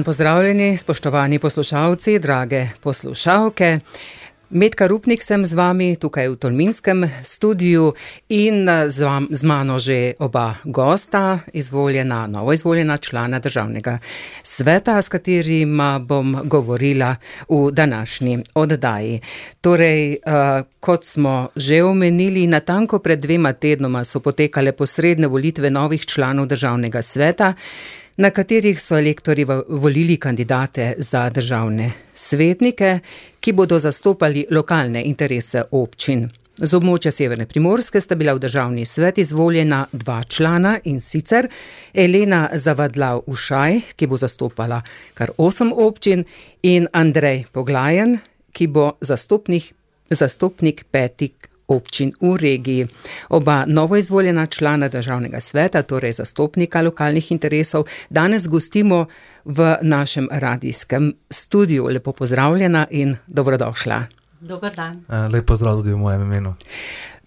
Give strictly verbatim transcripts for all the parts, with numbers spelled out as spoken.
Pozdravljeni, spoštovani poslušalci, drage poslušalke. Metka Rupnik sem z vami tukaj v Tolminskem studiu in z, vam, z mano že oba gosta, izvoljena, novo izvoljena člana Državnega sveta, s katerima bom govorila v današnji oddaji. Torej, uh, kot smo že omenili, natanko pred dvema tednoma so potekale posredne volitve novih članov Državnega sveta, na katerih so elektorji volili kandidate za državne svetnike, ki bodo zastopali lokalne interese občin. Z območja Severne Primorske sta bila v državni svet izvoljena dva člana, in sicer Elena Zavadlav Ušaj, ki bo zastopala kar osem občin, in Andrej Poglajen, ki bo zastopnik, zastopnik petih občin v regiji. Oba novoizvoljena člana Državnega sveta, torej zastopnika lokalnih interesov, danes gostimo v našem radijskem studiu. Lepo pozdravljena in dobrodošla. Dober dan. Lep pozdrav tudi v mojem imenu.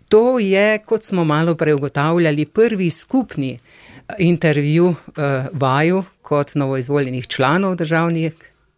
To je, kot smo malo prej ugotavljali, prvi skupni intervju uh, vaju kot novoizvoljenih članov državnih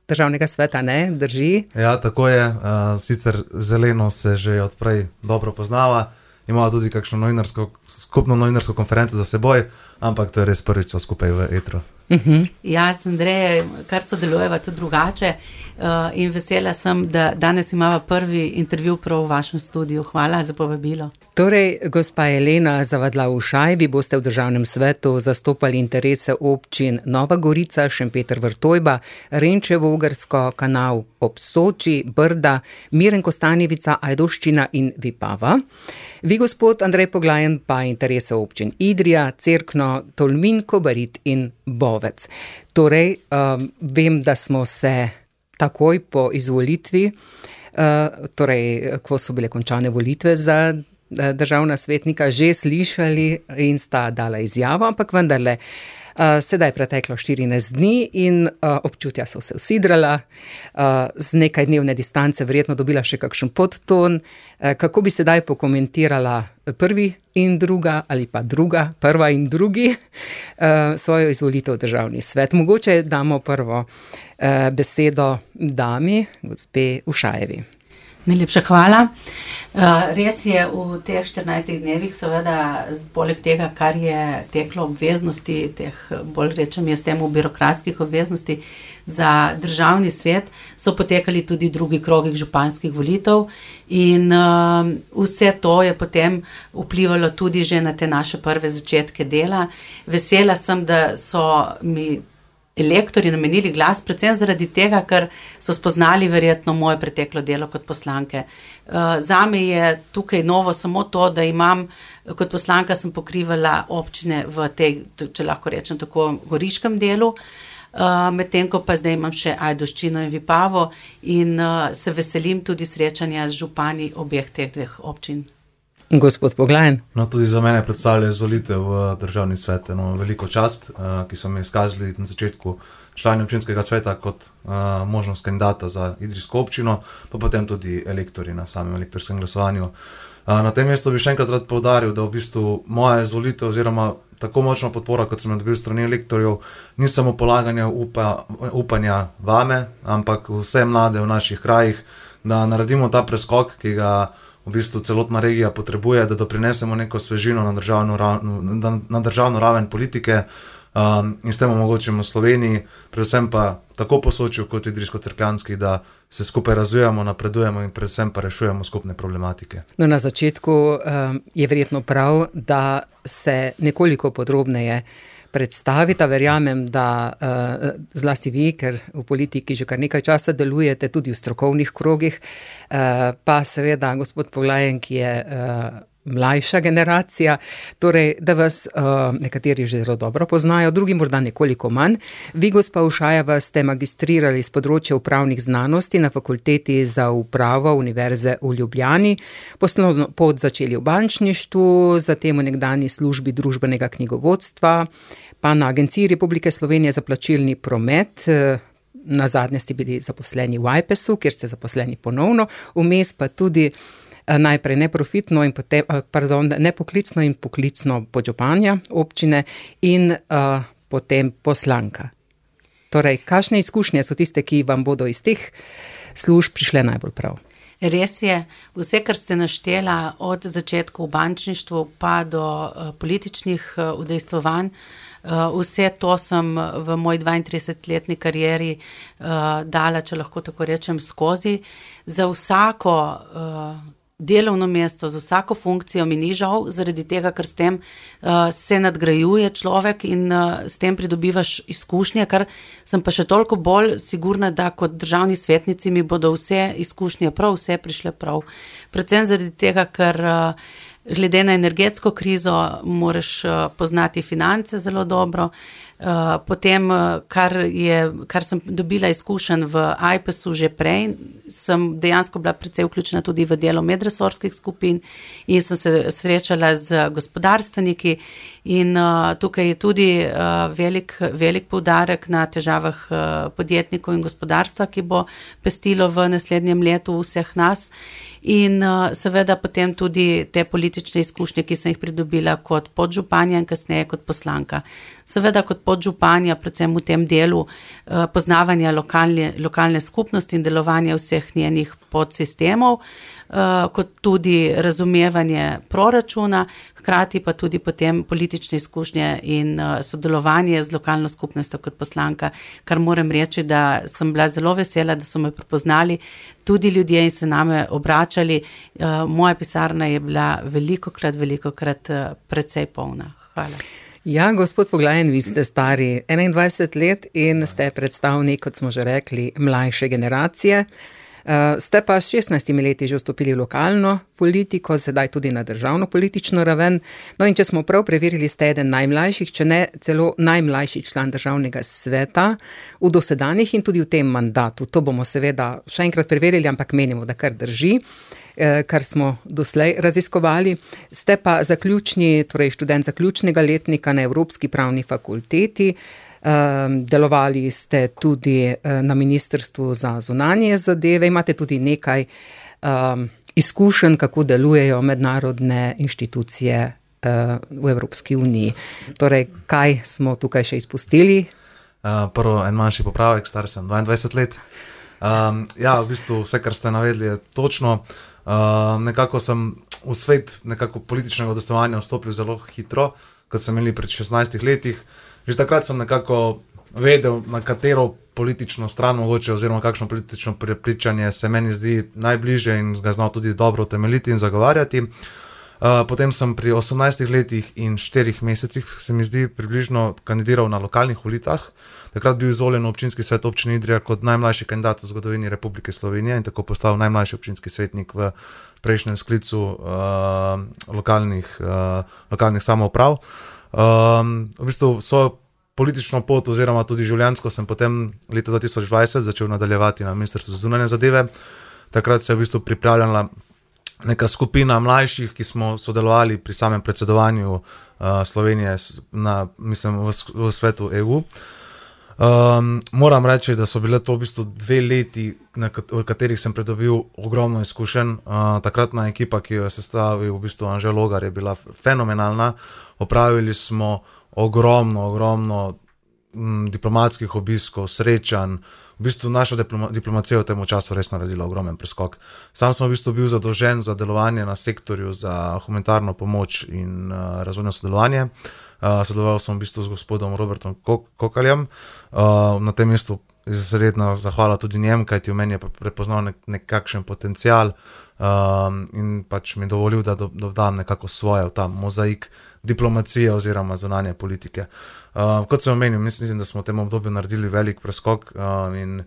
Državnega sveta, ne? Drži? Ja, tako je. Uh, sicer Zeleno se že odprej dobro poznava, imamo tudi kakšno novinarsko, skupno novinarsko konferenco za seboj, ampak to je res prvič skupaj v etru. Uh-huh. Jaz, Andrej, kar sodelujeva tudi drugače uh, in vesela sem, da danes imava prvi intervju prav v vašem studiu. Hvala za povabilo. Torej, gospa Elena Zavadlav Ušaj, vi boste v Državnem svetu zastopali interese občin Nova Gorica, Šempeter Vrtojba, Renčevo Ogrsko, Kanal ob Soči, Brda, Miren Kostanjevica, Ajdovščina in Vipava. Vi, gospod Andrej Poglajen, pa interese občin Idrija, Cerkno, Tolmin, Kobarid in Bovec. Torej, um, vem, da smo se takoj po izvolitvi, uh, torej, ko so bile končane volitve za državna svetnika, že slišali in sta dala izjavo, ampak vendarle, uh, sedaj je preteklo štirinajst dni in uh, občutja so se usidrala, uh, z nekaj dnevne distance verjetno dobila še kakšen podton. Uh, kako bi sedaj pokomentirala prvi in druga ali pa druga, prva in drugi uh, svojo izvolitev v Državni svet? Mogoče damo prvo uh, besedo dami, gospe Ušajevi. Najlepša hvala. Res je, v teh štirinajstih dnevih, seveda, poleg tega, kar je teklo obveznosti, teh, bolj rečem jaz temu, birokratskih obveznosti za Državni svet, so potekali tudi drugi krogih županskih volitev in uh, vse to je potem vplivalo tudi že na te naše prve začetke dela. Vesela sem, da so mi elektorji namenili glas, predvsem zaradi tega, ker so spoznali verjetno moje preteklo delo kot poslanke. Uh, zame je tukaj novo samo to, da imam, kot poslanka sem pokrivala občine v tej, če lahko rečem tako, goriškem delu, uh, medtem ko pa zdaj imam še Ajdovščino in Vipavo in uh, se veselim tudi srečanja z župani obeh teh dveh občin. Gospod Poglajen. No, tudi za mene predstavlja izvolitev v Državni svet eno veliko čast, uh, ki so mi izkazali na začetku člani občinskega sveta kot uh, možnost kandidata za idrijsko občino, pa potem tudi elektorji na samem elektorskem glasovanju. Uh, na tem mestu bi še enkrat rad poudaril, da v bistvu moja izvolitev oziroma tako močna podpora, kot sem jo dobil strani elektorjev, ni samo polaganje upa, upanja vame, ampak vse mlade v naših krajih, da naredimo ta preskok, ki ga v bistvu celotna regija potrebuje, da doprinesemo neko svežino na državno, na državno raven politike um, in s tem omogočimo Sloveniji, predvsem pa tako po Sočju kot idrijsko-cerkljanski, da se skupaj razvijamo, napredujemo in predvsem pa rešujemo skupne problematike. No, na začetku um, je verjetno prav, da se nekoliko podrobneje predstavita. Verjamem, da uh, zlasti vi, ker v politiki že kar nekaj časa delujete, tudi v strokovnih krogih, uh, pa seveda gospod Poglajen, ki je uh, mlajša generacija, torej, da vas uh, nekateri že zelo dobro poznajo, drugi morda nekoliko manj. Vi, gospa Ušajeva, ste magistrirali z področja upravnih znanosti na Fakulteti za upravo Univerze v Ljubljani, poslovno pot začeli v bančništvu, zatem v nekdanji službi družbenega knjigovodstva, pa na Agenciji Republike Slovenije za plačilni promet. Na zadnje ste bili zaposleni v Ajpesu, kjer ste zaposleni ponovno, vmes pa tudi najprej neprofitno in potem, pardon, nepoklicno in poklicno podžupanja občine in uh, potem poslanka. Torej, kakšne izkušnje so tiste, ki vam bodo iz teh služb prišle najbolj prav? Res je, vse, kar ste naštela od začetka v bančništvu pa do uh, političnih uh, udejstvovanj, uh, vse to sem v moj dvaintridesetletni karieri uh, dala, če lahko tako rečem, skozi. Za vsako uh, delovno mesto, za vsako funkcijo mi ni žal, zaradi tega, ker s tem uh, se nadgrajuje človek in uh, s tem pridobivaš izkušnje, kar sem pa še toliko bolj sigurna, da kot državni svetnici mi bodo vse izkušnje prav, vse prišle prav. Predvsem zaradi tega, ker uh, glede na energetsko krizo moraš uh, poznati finance zelo dobro. Uh, potem, kar, je, kar sem dobila izkušenj v A I P E S-u že prej, sem dejansko bila precej vključena tudi v delo medresorskih skupin in sem se srečala z gospodarstveniki in uh, tukaj je tudi uh, velik, velik poudarek na težavah uh, podjetnikov in gospodarstva, ki bo pestilo v naslednjem letu vseh nas. In uh, seveda potem tudi te politične izkušnje, ki sem jih pridobila kot podžupanja in kasneje kot poslanka. Seveda kot podžupanja, predvsem v tem delu uh, poznavanja lokalne, lokalne skupnosti in delovanja vseh njenih podsistemov, uh, kot tudi razumevanje proračuna, hkrati pa tudi potem politične izkušnje in uh, sodelovanje z lokalno skupnostjo kot poslanka, kar moram reči, da sem bila zelo vesela, da so me prepoznali tudi ljudje in se name obračali. Uh, moja pisarna je bila velikokrat, velikokrat uh, precej polna. Hvala. Ja, gospod Poglajen, vi ste stari enaindvajset let in ste predstavnik, kot smo že rekli, mlajše generacije. Uh, ste pa s šestnajstimi leti že vstopili v lokalno politiko, sedaj tudi na državno politično raven. No in če smo prav preverili, ste eden najmlajših, če ne celo najmlajši član državnega sveta v dosedanjih in tudi v tem mandatu. To bomo seveda še enkrat preverili, ampak menimo, da kar drži, kar smo doslej raziskovali. Ste pa zaključni, torej študent zaključnega letnika na Evropski pravni fakulteti. Um, delovali ste tudi uh, na Ministrstvu za zunanje zadeve, imate tudi nekaj um, izkušenj, kako delujejo mednarodne inštitucije uh, v Evropski uniji. Torej, kaj smo tukaj še izpustili? Uh, prvo, en manjši popravek, star sem dvaindvajset let. Um, ja, v bistvu vse, kar ste navedli, je točno. Uh, nekako sem v svet nekako političnega udejstvovanja vstopil zelo hitro, kot sem imeli pred šestnajstih letih. Že takrat sem nekako vedel, na katero politično stran mogoče oziroma kakšno politično prepričanje se meni zdi najbližje in ga znal tudi dobro utemeljiti in zagovarjati. Uh, potem sem pri osemnajstih letih in štirih mesecih, se mi zdi, približno kandidiral na lokalnih volitvah. Takrat bil izvoljen v občinski svet občine Idrija kot najmlajši kandidat v zgodovini Republike Slovenije in tako postal najmlajši občinski svetnik v prejšnjem sklicu uh, lokalnih, uh, lokalnih samouprav. Um, v bistvu svojo politično pot oziroma tudi življenjsko sem potem leta dva tisoč dvajset začel nadaljevati na Ministrstvu za zunanje zadeve. Takrat se je v bistvu pripravljala neka skupina mlajših, ki smo sodelovali pri samem predsedovanju uh, Slovenije na, mislim, v, v svetu E U. Um, moram reči, da so bile to v bistvu dve leti, na kat- v katerih sem pridobil ogromno izkušenj. Uh, takratna ekipa, ki jo je sestavil v bistvu Anže Logar, je bila fenomenalna. Opravili smo ogromno, ogromno m, diplomatskih obiskov, srečanj. V bistvu naša diploma- diplomacija v tem času res naredila ogromen preskok. Sam sem v bistvu bil zadolžen za delovanje na sektorju za humanitarno pomoč in uh, razvojno sodelovanje. Uh, sodeloval sem v bistvu z gospodom Robertom Kokaljem. Uh, na tem mestu izredna zahvala tudi njem, kajti v meni je prepoznal nek, nekakšen potencial um, in pač mi dovolil, da do, dodam nekako svoje v ta mozaik diplomacije oziroma zunanje politike. Uh, kot sem omenil, mislim, da smo v tem obdobju naredili velik preskok um, in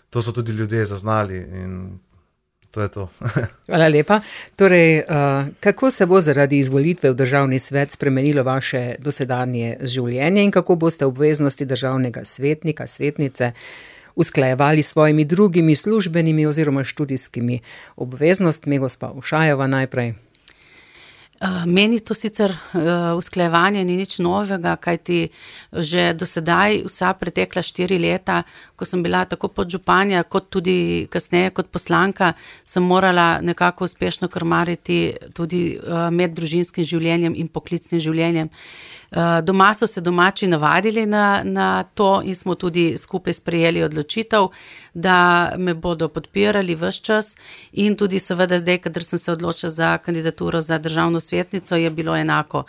to so tudi ljudje zaznali in to je to. Hvala lepa. Torej, uh, kako se bo zaradi izvolitve v državni svet spremenilo vaše dosedanje življenje in kako boste obveznosti državnega svetnika, svetnice usklajevali s svojimi drugimi službenimi oziroma študijskimi obveznostmi? Gospa Ušajeva najprej. Meni to sicer uh, usklajevanje ni nič novega, kajti že do sedaj vsa pretekla štiri leta, ko sem bila tako podžupanja, kot tudi kasneje kot poslanka, sem morala nekako uspešno krmariti tudi uh, med družinskim življenjem in poklicnim življenjem. Doma so se domači navadili na, na to in smo tudi skupaj sprejeli odločitev, da me bodo podpirali ves čas in tudi seveda zdaj, kadar sem se odločila za kandidaturo za državno svetnico, je bilo enako.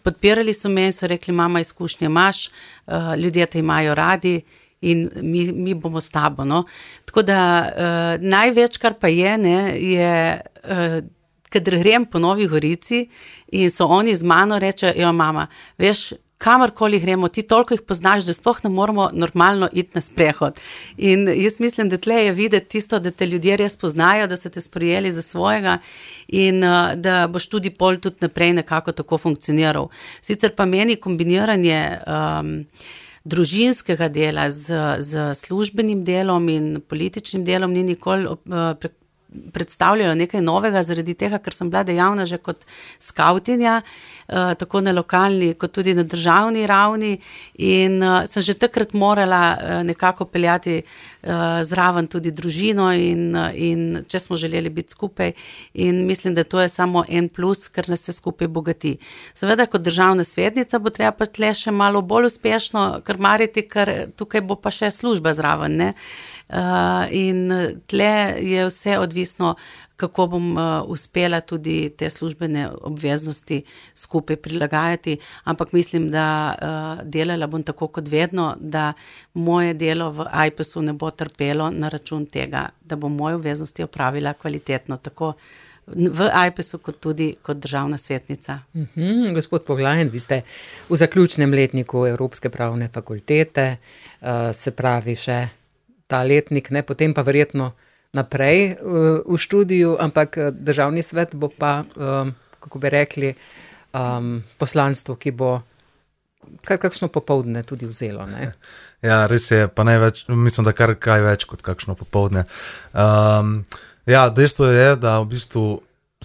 Podpirali so me in so rekli, mama, izkušnje imaš, ljudje te imajo radi in mi, mi bomo s tabo. No? Tako da uh, največ, kar pa je, ne, je, uh, kadar grem po Novi Gorici in so oni z mano reče, jo mama, veš, kamorkoli gremo, ti toliko jih poznaš, da sploh ne moramo normalno iti na sprehod. In jaz mislim, da tle je videti tisto, da te ljudje res poznajo, da so te sprejeli za svojega in uh, da boš tudi pol tudi naprej nekako tako funkcioniral. Sicer pa meni kombiniranje um, družinskega dela z, z službenim delom in političnim delom ni nikoli uh, pre, predstavljalo nekaj novega, zaradi tega, ker sem bila dejavna že kot skautinja, uh, tako na lokalni, kot tudi na državni ravni in uh, sem že takrat morala uh, nekako peljati uh, zraven tudi družino in, uh, in če smo želeli biti skupaj in mislim, da to je samo en plus, ker nas se skupaj bogati. Seveda, kot državna svetnica bo treba pa tle še malo bolj uspešno krmariti, ker tukaj bo pa še služba zraven, ne? Uh, in tle je vse odvisno, kako bom uh, uspela tudi te službene obveznosti skupaj prilagajati, ampak mislim, da uh, delala bom tako kot vedno, da moje delo v Ajpesu ne bo trpelo na račun tega, da bom moje obveznosti opravila kvalitetno, tako v Ajpesu kot tudi kot državna svetnica. Uhum, gospod Poglajen, vi ste v zaključnem letniku Evropske pravne fakultete, uh, se pravi še ta letnik, ne, potem pa verjetno naprej uh, v študiju, ampak državni svet bo pa, um, kako bi rekli, um, poslanstvo, ki bo kar kakšno popoldne tudi vzelo, ne? Ja, res je, pa največ, mislim, da kar kaj več kot kakšno popoldne. Um, ja, dejstvo je, da v bistvu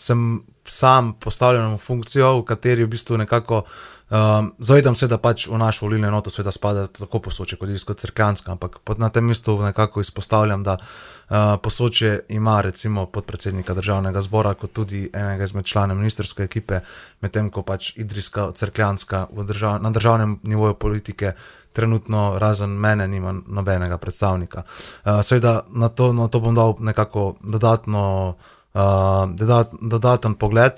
sem sam postavljen v funkcijo, v kateri v bistvu nekako Um, zavedam se, da pač v našo volilno enoto sveda spada tako Posočje kot Idrijsko Cerkljanska, ampak na tem mestu nekako izpostavljam, da uh, Posočje ima recimo podpredsednika državnega zbora kot tudi enega izmed članov ministerske ekipe, medtem ko pač Idrijska Cerkljanska v držav, na državnem nivoju politike trenutno razen mene nima nobenega predstavnika. Uh, seveda na to, na to bom dal nekako dodatno Uh, dodat, dodaten pogled.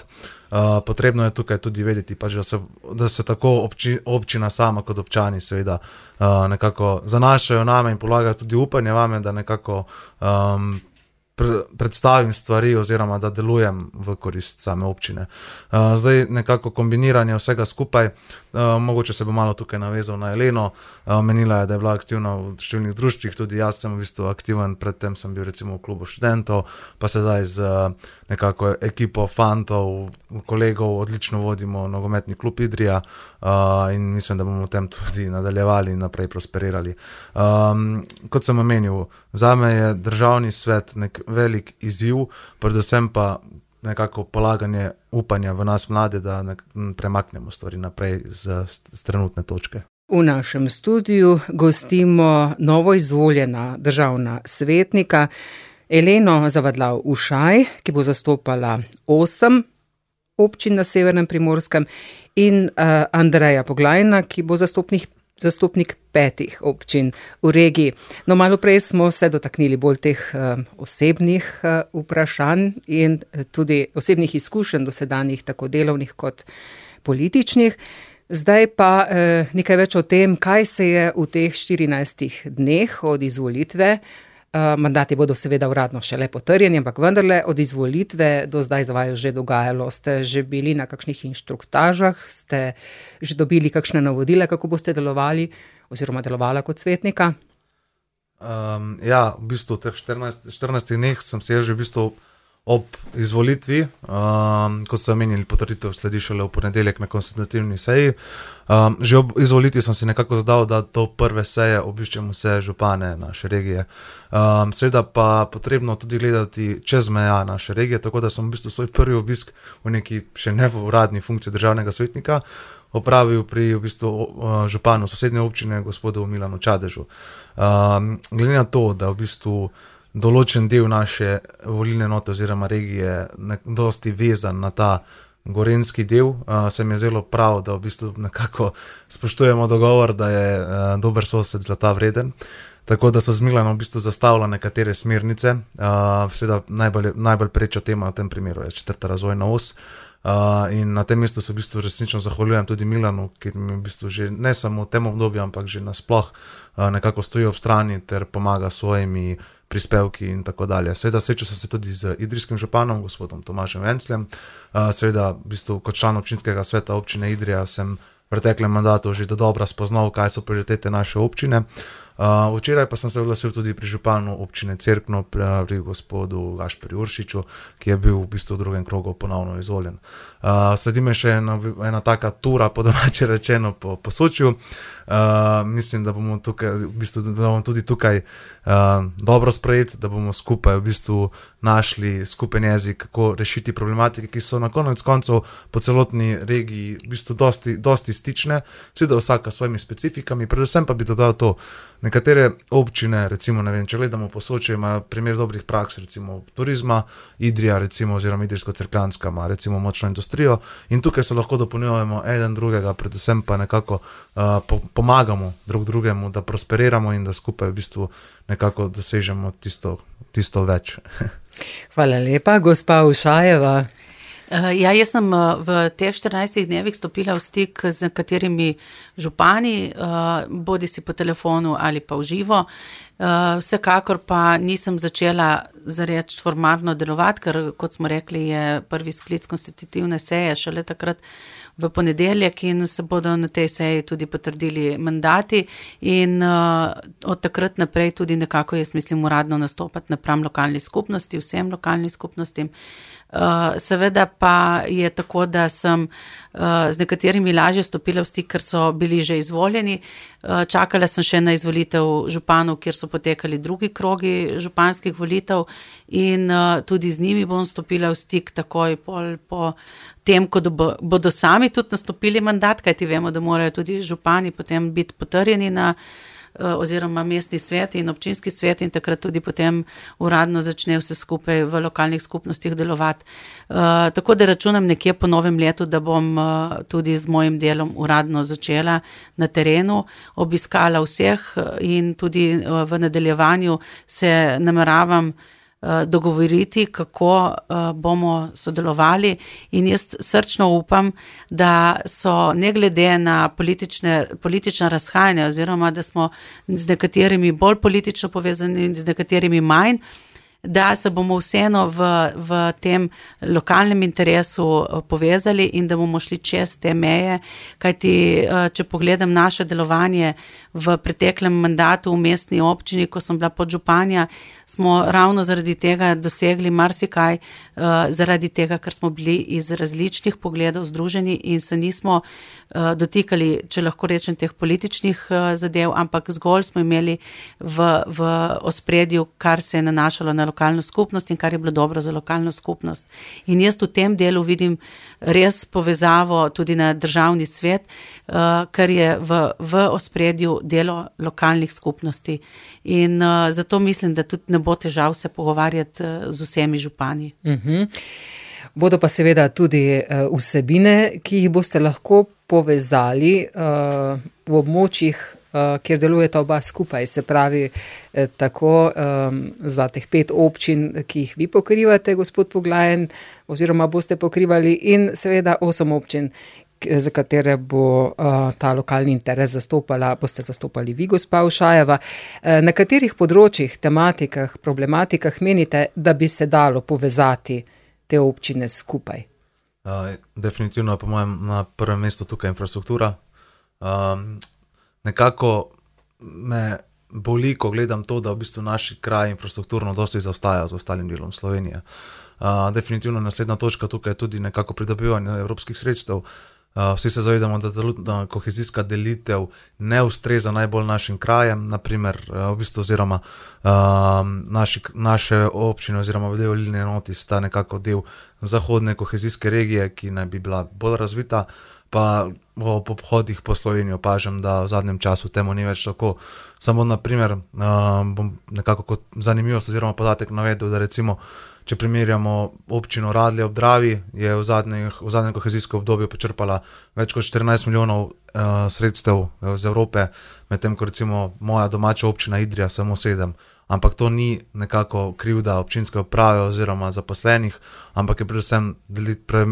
Uh, potrebno je tukaj tudi vedeti, pač, da, se, da se tako obči, občina sama kot občani seveda uh, nekako zanašajo name in polagajo tudi upanje vame, da nekako um, pre, predstavim stvari oziroma da delujem v korist same občine. Uh, zdaj nekako kombiniranje vsega skupaj, uh, mogoče se bo malo tukaj navezal na Eleno, uh, menila je, da je bila aktivna v številnih društvih, tudi jaz sem v bistvu aktiven, predtem sem bil recimo v klubu študentov, pa sedaj z uh, nekako ekipo fantov, kolegov, odlično vodimo nogometni klub Idrija uh, in mislim, da bomo v tem tudi nadaljevali in naprej prosperirali. Um, kot sem omenil, zame je državni svet nek velik izziv, predvsem pa nekako polaganje upanja v nas mlade, da premaknemo stvari naprej z, z trenutne točke. V našem studiu gostimo novo izvoljena državna svetnika Eleno Zavadlav-Ušaj, ki bo zastopala osem občin na Severnem Primorskem in uh, Andreja Poglajna, ki bo zastopnih zastopnik petih občin v regiji. No, malo prej smo se dotaknili bolj teh uh, osebnih uh, vprašanj in tudi osebnih izkušenj dosedanjih, tako delovnih kot političnih. Zdaj pa uh, nekaj več o tem, kaj se je v teh štirinajstih dneh od izvolitve, uh, mandati bodo seveda uradno šele potrjeni, ampak vendarle od izvolitve do zdaj za vaju že dogajalo. Ste že bili na kakšnih inštruktažah, ste že dobili kakšne navodila, kako boste delovali oziroma delovala kot svetnika? Um, ja, v bistvu v teh štirinajstih dneh sem se že v bistvu ob izvolitvi, um, ko ste omenili potrditev, sledi šele v ponedeljek na konstitutivni seji. Um, že ob izvolitvi sem si nekako zadal, da do prve seje obiščem vse župane naše regije. Um, seveda pa potrebno tudi gledati čez meja naše regije, tako da sem v bistvu svoj prvi obisk v neki še ne v uradni funkciji državnega svetnika opravil pri v bistvu županu sosednje občine, gospodu Milanu Čadežu. Um, glede na to, da v bistvu določen del naše volilne enote oziroma regije dosti vezan na ta gorenski del, uh, se mi je zelo prav, da v bistvu nekako spoštujemo dogovor, da je uh, dober sosed zlata vreden. Tako da so z Milanom v bistvu zastavila nekatere smernice. Uh, seveda najbolj, najbolj preča tema v tem primeru je četrta razvojna os. Uh, in na tem mestu se v bistvu resnično zahvaljujem tudi Milanu, ki mi v bistvu že ne samo v tem obdobju, ampak že nasploh uh, nekako stoji ob strani ter pomaga svojimi prispevki in tako dalje. Seveda srečal sem se tudi z idrijskim županom, gospodom Tomažem Vencljem. Uh, seveda v bistvu kot član občinskega sveta občine Idrija sem v preteklem mandatu že do dobra spoznal, kaj so prioritete naše občine. Uh, včeraj pa sem se oglasil tudi pri županu občine Cerkno, pri, pri gospodu Gašperju Uršiču, ki je bil v bistvu v drugem krogu ponovno izvoljen. Uh, sledi me še ena, ena taka tura, po domače rečeno, po, po Sočju. Uh, mislim, da bomo, tukaj, v bistvu, da bomo tudi tukaj uh, dobro sprejeti, da bomo skupaj v bistvu našli skupen jezik, kako rešiti problematike, ki so na konec koncev po celotni regiji v bistvu dosti, dosti stične, seveda vsaka s svojimi specifikami, predvsem pa bi dodal to, nekatere občine, recimo, ne vem, če gledamo po Sočju, imajo primer dobrih praks, recimo turizma, Idrija, recimo, oziroma Idrijsko-Cerkljanska ima recimo močno industrijo in tukaj se lahko dopolnjujemo eden drugega, predvsem pa nekako uh, po, pomagamo drug drugemu, da prosperiramo in da skupaj v bistvu nekako dosežemo tisto, tisto več. Hvala lepa, gospa Ušajeva. Ja, jaz sem v teh štirinajstih dnevih stopila v stik z nekaterimi župani, bodi si po telefonu ali pa v živo. Vsekakor pa nisem začela zareč formalno delovati, ker kot smo rekli, je prvi sklic konstitutivne seje šele takrat v ponedeljek in se bodo na tej seji tudi potrdili mandati in uh, od takrat naprej tudi nekako jaz mislim uradno nastopati napram lokalni skupnosti, vsem lokalnim skupnostim. Uh, seveda pa je tako, da sem uh, z nekaterimi lažje stopila v stik, ker so bili že izvoljeni. Uh, čakala sem še na izvolitev županov, kjer so potekali drugi krogi županskih volitev in uh, tudi z njimi bom stopila v stik takoj pol po tem, ko bo, bodo sami tudi nastopili mandat, kajti vemo, da morajo tudi župani potem biti potrjeni na oziroma mestni svet in občinski svet in takrat tudi potem uradno začne vse skupaj v lokalnih skupnostih delovati. Uh, tako da računam nekje po novem letu, da bom uh, tudi z mojim delom uradno začela na terenu, obiskala vseh in tudi uh, v nadaljevanju se nameravam dogovoriti, kako uh, bomo sodelovali in jaz srčno upam, da so ne glede na politične, politična razhajanja oziroma da smo z nekaterimi bolj politično povezani, z nekaterimi manj, da se bomo vseeno v, v tem lokalnem interesu povezali in da bomo šli čez te meje, kajti če pogledam naše delovanje v preteklem mandatu v mestni občini, ko sem bila podžupanja, smo ravno zaradi tega dosegli marsikaj, zaradi tega, ker smo bili iz različnih pogledov združeni in se nismo dotikali, če lahko rečem, teh političnih zadev, ampak zgolj smo imeli v, v ospredju, kar se je nanašalo na lokalno skupnost in kar je bilo dobro za lokalno skupnost. In jaz v tem delu vidim res povezavo tudi na državni svet, kar je v, v ospredju delo lokalnih skupnosti. In uh, zato mislim, da tudi ne bo težav se pogovarjati uh, z vsemi župani. Uh-huh. Bodo pa seveda tudi uh, vsebine, ki jih boste lahko povezali uh, v območjih, uh, kjer delujeta oba skupaj, se pravi eh, tako um, za teh pet občin, ki jih vi pokrivate, gospod Poglajen, oziroma boste pokrivali in seveda osem občin, za katere bo uh, ta lokalni interes zastopala, boste zastopali vi, gospa Ušajeva. Uh, na katerih področjih, tematikah, problematikah menite, da bi se dalo povezati te občine skupaj? Uh, definitivno je po mojem na prvem mestu tukaj infrastruktura. Um, nekako me boli, ko gledam to, da v bistvu naši kraj infrastrukturno dosti zaostaja z ostalim delom Slovenije. Uh, definitivno naslednja točka tukaj je tudi nekako pridobivanje evropskih sredstev. Uh, vsi se zavedamo, da, da kohezijska delitev ne ustreza najbolj našim krajem, naprimer, uh, v bistvu oziroma uh, naši, naše občine oziroma del volilne enoti sta nekako del zahodne kohezijske regije, ki naj bi bila bolj razvita, pa po pohodih po Sloveniji opažam, da v zadnjem času temu ni več tako. Samo naprimer, um, bom nekako kot zanimivost oziroma podatek navedel, da recimo, če primerjamo občino Radlje ob Dravi, je v zadnjem, v zadnjem kohezijskem obdobju počrpala več kot štirinajst milijonov uh, sredstev iz Evrope, medtem ko recimo moja domača občina Idrija samo sedem. Ampak to ni nekako krivda občinske uprave oziroma zaposlenih, ampak je predvsem delit, pre,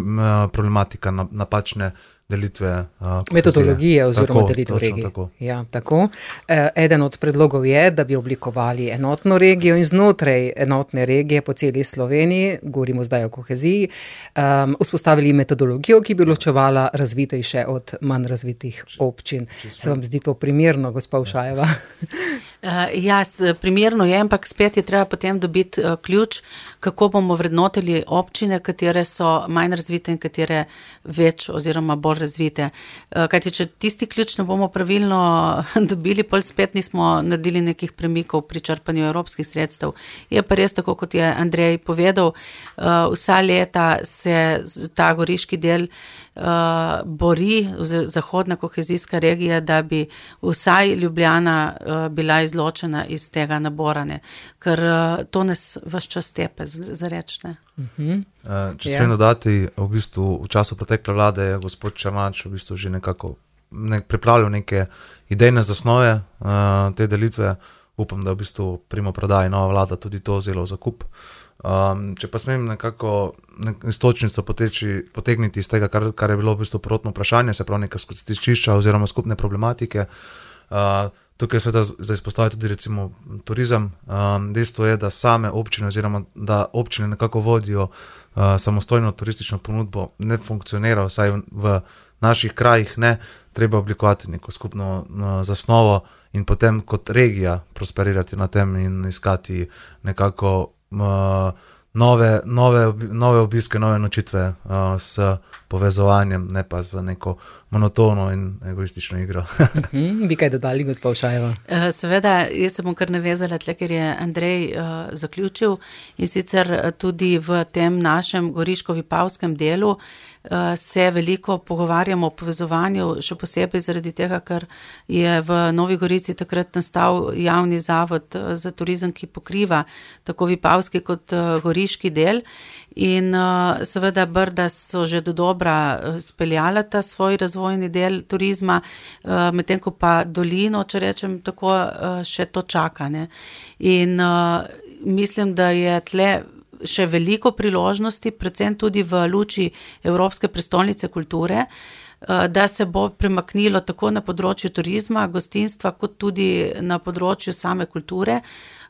problematika napačne delitve uh, metodologije oziroma tako, delitev regij. Tako. Ja, tako. E, eden od predlogov je, da bi oblikovali enotno regijo in znotraj enotne regije po celi Sloveniji, govorimo zdaj o koheziji, um, vzpostavili metodologijo, ki bi ločevala razvitejše od manj razvitih občin. Če, če Se vam zdi to primerno, gospa Ušajeva? Uh, ja, primerno je, ampak spet je treba potem dobiti uh, ključ, kako bomo vrednotili občine, katere so manj razvite in katere več oziroma bolj razvite. Uh, kajti, če tisti ključ ne bomo pravilno dobili, pol spet nismo naredili nekih premikov pri črpanju evropskih sredstev. Je pa res tako, kot je Andrej povedal, uh, vsa leta se ta goriški del uh, bori, zahodna kohezijska regija, da bi vsaj Ljubljana uh, bila izločena iz tega naborane, ker uh, to nas vaš čas tepe za reč, ne. Uh-huh. Uh, če smem dodati, v bistvu v času pretekle vlade je gospod Černač v bistvu že nekako ne, pripravljal neke idejne zasnove uh, te delitve. Upam, da v bistvu primopredaji nova vlada tudi to vzela v zakup. Um, če pa smem nekako nek istočnico poteči, potegniti iz tega, kar, kar je bilo v bistvu prvotno vprašanje, se pravi nekaj stičišča oziroma skupne problematike. Uh, tukaj seveda za izpostaviti tudi recimo turizem. Um, dejstvo je, da same občine oziroma da občine nekako vodijo uh, samostojno turistično ponudbo, ne funkcionira, vsaj v, v naših krajih ne, treba oblikovati neko skupno uh, zasnovo in potem kot regija prosperirati na tem in iskati nekako uh, nove, nove, nove obiske, nove nočitve uh, s povezovanjem, ne pa z neko monotono in egoistično igro. uh-huh. Bi kaj dodali, gospa Ušajeva? Seveda, jaz se bom kar navezala tle, ker je Andrej uh, zaključil in sicer tudi v tem našem goriško-vipavskem delu uh, se veliko pogovarjamo o povezovanju, še posebej zaradi tega, ker je v Novi Gorici takrat nastal javni zavod uh, za turizem, ki pokriva tako vipavski kot uh, goriški del. In uh, seveda Brda so že do dobra uh, speljala ta svoj razvojni del turizma, uh, medtem ko pa dolino, če rečem tako, uh, še to čaka, ne. In uh, mislim, da je tle še veliko priložnosti, predvsem tudi v luči Evropske prestolnice kulture, uh, da se bo premaknilo tako na področju turizma, gostinstva, kot tudi na področju same kulture.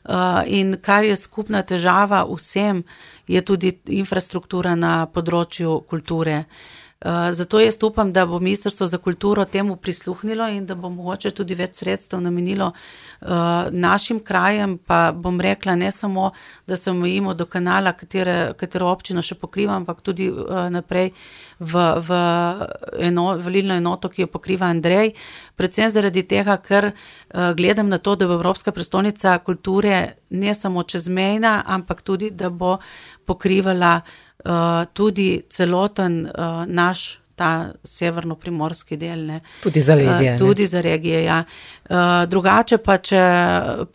Uh, in kar je skupna težava vsem, je tudi infrastruktura na področju kulture. Uh, zato jaz upam, da bo Ministrstvo za kulturo temu prisluhnilo in da bo mogoče tudi več sredstev namenilo uh, našim krajem, pa bom rekla ne samo, da se omejimo do kanala, katere, katero občino še pokrivam, ampak tudi uh, naprej v, v eno, volilno enoto, ki jo pokriva Andrej, predvsem zaradi tega, ker uh, gledam na to, da bo Evropska prestolnica kulture ne samo čezmejna, ampak tudi, da bo pokrivala Uh, tudi celoten uh, naš ta severno-primorski del. Ne. Tudi za regije. Uh, tudi za regije, ja. Uh, drugače pa, če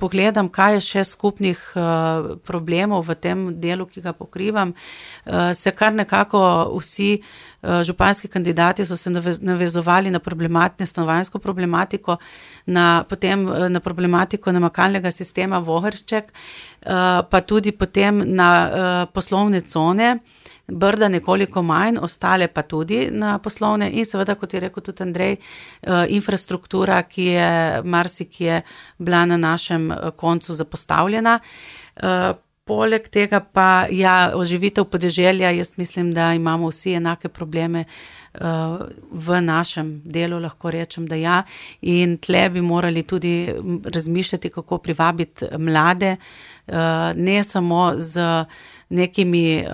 pogledam, kaj je še skupnih uh, problemov v tem delu, ki ga pokrivam, uh, se kar nekako vsi uh, županski kandidati so se navezovali na problematne, stanovanjsko problematiko, na, potem na problematiko namakalnega sistema Vohršček, uh, pa tudi potem na uh, poslovne cone, Brda nekoliko manj, ostale pa tudi na poslovne in seveda, kot je rekel tudi Andrej, infrastruktura, ki je marsikje bila na našem koncu zapostavljena. Poleg tega pa, ja, oživitev podeželja, jaz mislim, da imamo vsi enake probleme v našem delu, lahko rečem, da ja, in tle bi morali tudi razmišljati, kako privabiti mlade, ne samo z nekimi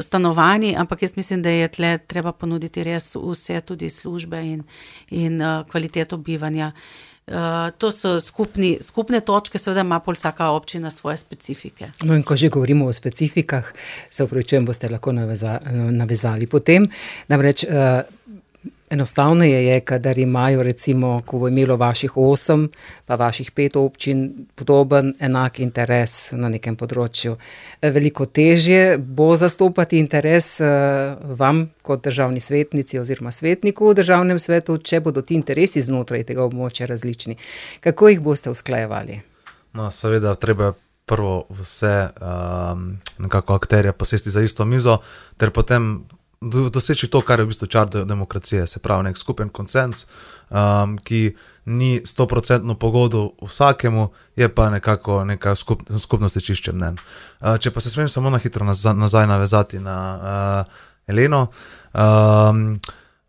stanovanji, ampak jaz mislim, da je tle treba ponuditi res vse, tudi službe in, in uh, kvaliteto bivanja. Uh, to so skupni, skupne točke, seveda ima pol vsaka občina svoje specifike. No in ko že govorimo o specifikah, se upravičujem, boste lahko naveza, navezali potem. Namreč, uh, Enostavneje je, kadar imajo recimo, ko bo imelo vaših osem, pa vaših pet občin, podoben, enak interes na nekem področju. Veliko težje bo zastopati interes vam kot državni svetnici oziroma svetniku v državnem svetu, če bodo ti interesi znotraj tega območja različni. Kako jih boste usklajevali? No, seveda, treba prvo vse um, nekako akterje posesti za isto mizo, ter potem doseči to, kar je v bistvu čar demokracije, se pravi nek skupen konsens, um, ki ni sto procentno pogodu vsakemu, je pa nekako neka skup, skupnost čišče mnen. Uh, če pa se smem samo na hitro nazaj, nazaj navezati na uh, Eleno, um,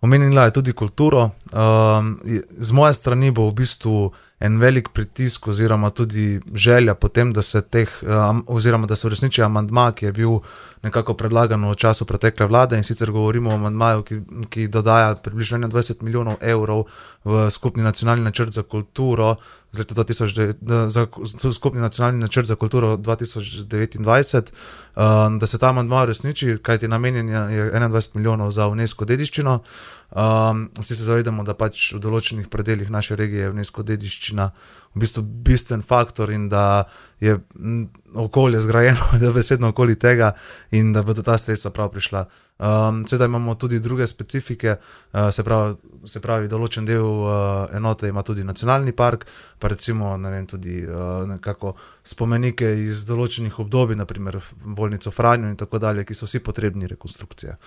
omenila je tudi kulturo. Um, z moje strani bo v bistvu en velik pritisk oziroma tudi želja potem, da se teh, um, oziroma da se uresniči amandma, ki je bil nekako predlagan v času pretekle vlade, in sicer govorimo o amandmaju, ki, ki dodaja približno enaindvajset milijonov evrov v skupni nacionalni načrt za kulturo, z leta dva tisoč devet, za, za skupni nacionalni načrt za kulturo dva tisoč devetindvajset, um, da se ta amandma uresniči, kajti namenjen je enaindvajset milijonov za UNESCO dediščino. Um, vsi se zavedamo, da pač v določenih predeljih naše regije je UNESCO dediščina v bistvu bistven faktor in da je okolje zgrajeno, da besedno okoli tega in da bodo ta sredstva prav prišla. Um, Sedaj imamo tudi druge specifike, uh, se pravi, se pravi določen del uh, enote ima tudi nacionalni park, pa recimo, ne vem, tudi uh, nekako spomenike iz določenih obdobij, naprimer bolnico Franjo in tako dalje, ki so vsi potrebni rekonstrukcije.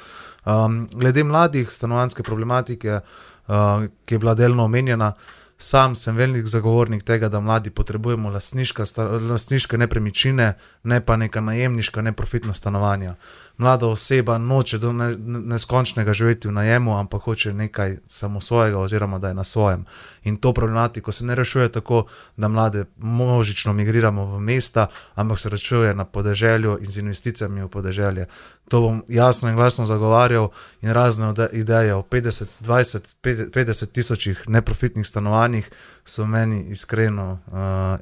Um, glede mladih, stanovanjske problematike, uh, ki je bila delno omenjena, sam sem velik zagovornik tega, da mladi potrebujemo lastniška, lastniške nepremičnine, ne pa neka najemniška, neprofitna stanovanja. Mlada oseba noče do ne, neskončnega živeti v najemu, ampak hoče nekaj samo svojega oziroma da je na svojem. In to problematiko se ne rešuje tako, da mlade množično migriramo v mesta, ampak se rešuje na podeželju in z investicijami v podeželje. To bom jasno in glasno zagovarjal in razne ideje o petdeset, dvajset, petdeset tisočih neprofitnih stanovanjih so meni iskreno uh,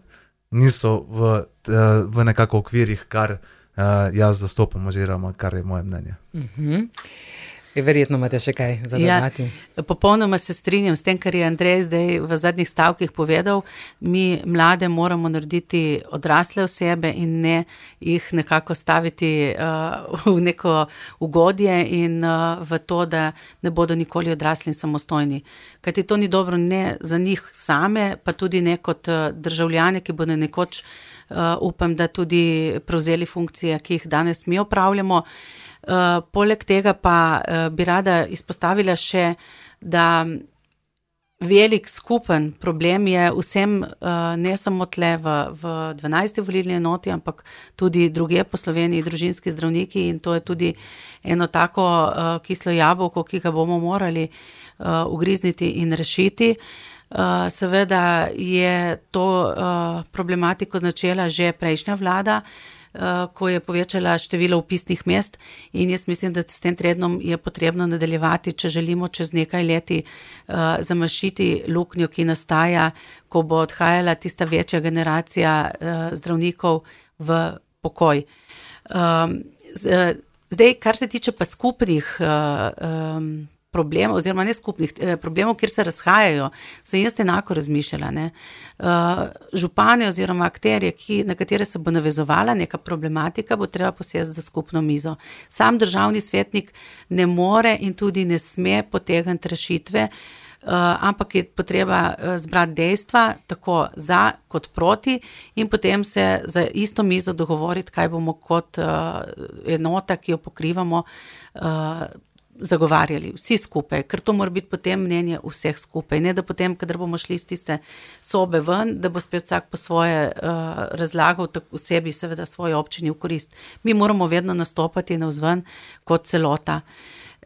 niso v, uh, v nekako okvirih, kar Uh, jaz zastopam oziroma kar je moje mnenje. Uh-huh. Verjetno imate še kaj za dodati. Ja, popolnoma se strinjam s tem, kar je Andrej zdaj v zadnjih stavkih povedal. Mi mlade moramo narediti odrasle osebe in ne jih nekako staviti uh, v neko ugodje in uh, v to, da ne bodo nikoli odrasli in samostojni. Kajti to ni dobro ne za njih same, pa tudi ne kot uh, državljane, ki bodo nekoč Uh, upam, da tudi prevzeli funkcije, ki jih danes mi opravljamo. Uh, poleg tega pa uh, bi rada izpostavila še, da velik skupen problem je vsem, uh, ne samo tle v, v dvanajsti volilni enoti, ampak tudi druge po Sloveniji, družinski zdravniki, in to je tudi eno tako uh, kislo jabolko, ki ga bomo morali uh, ugrizniti in rešiti. Uh, seveda je to uh, problematiko začela že prejšnja vlada, uh, ko je povečala število vpisnih mest, in jaz mislim, da s tem trendom je potrebno nadaljevati, če želimo čez nekaj leti uh, zamašiti luknjo, ki nastaja, ko bo odhajala tista večja generacija uh, zdravnikov v pokoj. Um, z, zdaj, kar se tiče pa skupnih uh, um, problemov, oziroma ne skupnih eh, problemov, kjer se razhajajo, sem jaz enako razmišljala. Ne? Uh, župane oziroma akterje, ki, na katere se bo navezovala neka problematika, bo treba posesti za skupno mizo. Sam državni svetnik ne more in tudi ne sme potegniti rešitve, uh, ampak je potreba uh, zbrati dejstva, tako za kot proti, in potem se za isto mizo dogovoriti, kaj bomo kot uh, enota, ki jo pokrivamo, uh, zagovarjali vsi skupaj, ker to mora biti potem mnenje vseh skupaj, ne da potem, kadar bomo šli iz tiste sobe ven, da bo spet vsak po svoje uh, razlagal v sebi, seveda svoji občini v korist. Mi moramo vedno nastopati navzven kot celota.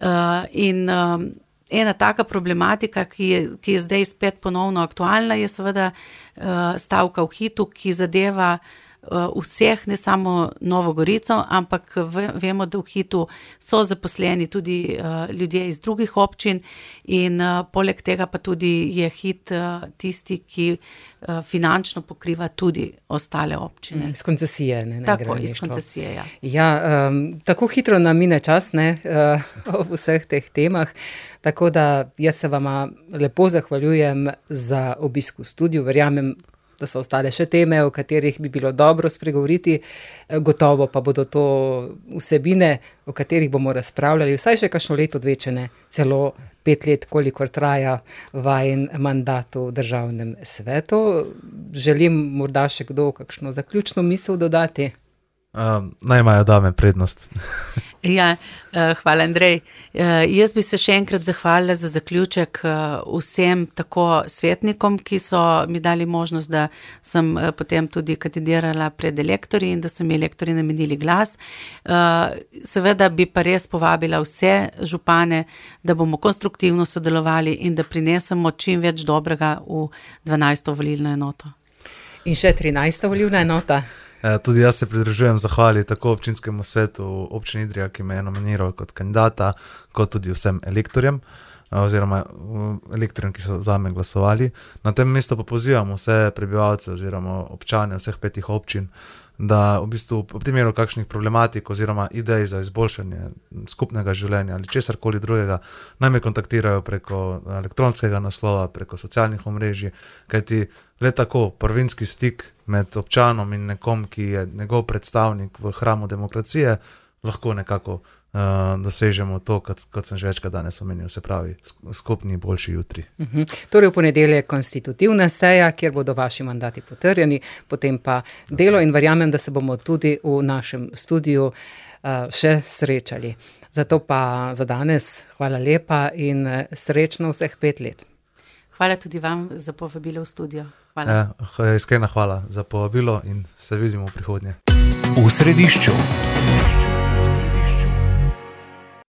Uh, in um, ena taka problematika, ki je, ki je zdaj spet ponovno aktualna, je seveda uh, stavka v hitu, ki zadeva vseh, ne samo Novo Gorico, ampak vemo, da v Hitu so zaposleni tudi ljudje iz drugih občin in poleg tega pa tudi je Hit tisti, ki finančno pokriva tudi ostale občine. Iz koncesije, ne? Tako, iz koncesije, ja. Ja, um, tako hitro nam mine čas, ne, uh, o vseh teh temah, tako da jaz se vama lepo zahvaljujem za obisk v studiu, verjamem, da so ostale še teme, o katerih bi bilo dobro spregovoriti, gotovo pa bodo to vsebine, o katerih bomo razpravljali, vsaj še kakšno leto, dve, če ne celo pet let, kolikor traja vajin mandat v državnem svetu. Želim morda še kdo kakšno zaključno misel dodati? Uh, naj imajo dame prednost. Ja, hvala Andrej. Jaz bi se še enkrat zahvalila za zaključek vsem tako svetnikom, ki so mi dali možnost, da sem potem tudi kandidirala pred elektorji in da so mi elektorji namenili glas. Seveda bi pa res povabila vse župane, da bomo konstruktivno sodelovali in da prinesemo čim več dobrega v dvanajsto volilno enoto. In še trinajsta volilna enota. Tudi jaz se pridružujem zahvali tako občinskemu svetu občine Idrija, ki me je nominiral kot kandidata, kot tudi vsem elektorjem, oziroma elektorjem, ki so zame glasovali. Na tem mestu pa pozivam vse prebivalce oziroma občane vseh petih občin, da v bistvu v primeru kakšnih problematik oziroma idej za izboljšanje skupnega življenja ali česarkoli drugega, naj me kontaktirajo preko elektronskega naslova, preko socialnih omrežij, kajti le tako prvinski stik med občanom in nekom, ki je njegov predstavnik v hramu demokracije, lahko nekako uh, dosežemo to, kot, kot sem že večkrat danes omenil, se pravi skupni boljši jutri. Uh-huh. Torej v ponedeljek konstitutivna seja, kjer bodo vaši mandati potrjeni, potem pa delo in verjamem, da se bomo tudi v našem studiu uh, še srečali. Zato pa za danes hvala lepa in srečno vseh pet let. Hvala tudi vam za povabilo v studio. Hvala. Eh, iskrena hvala za povabilo in se vidimo v prihodnje. V središču.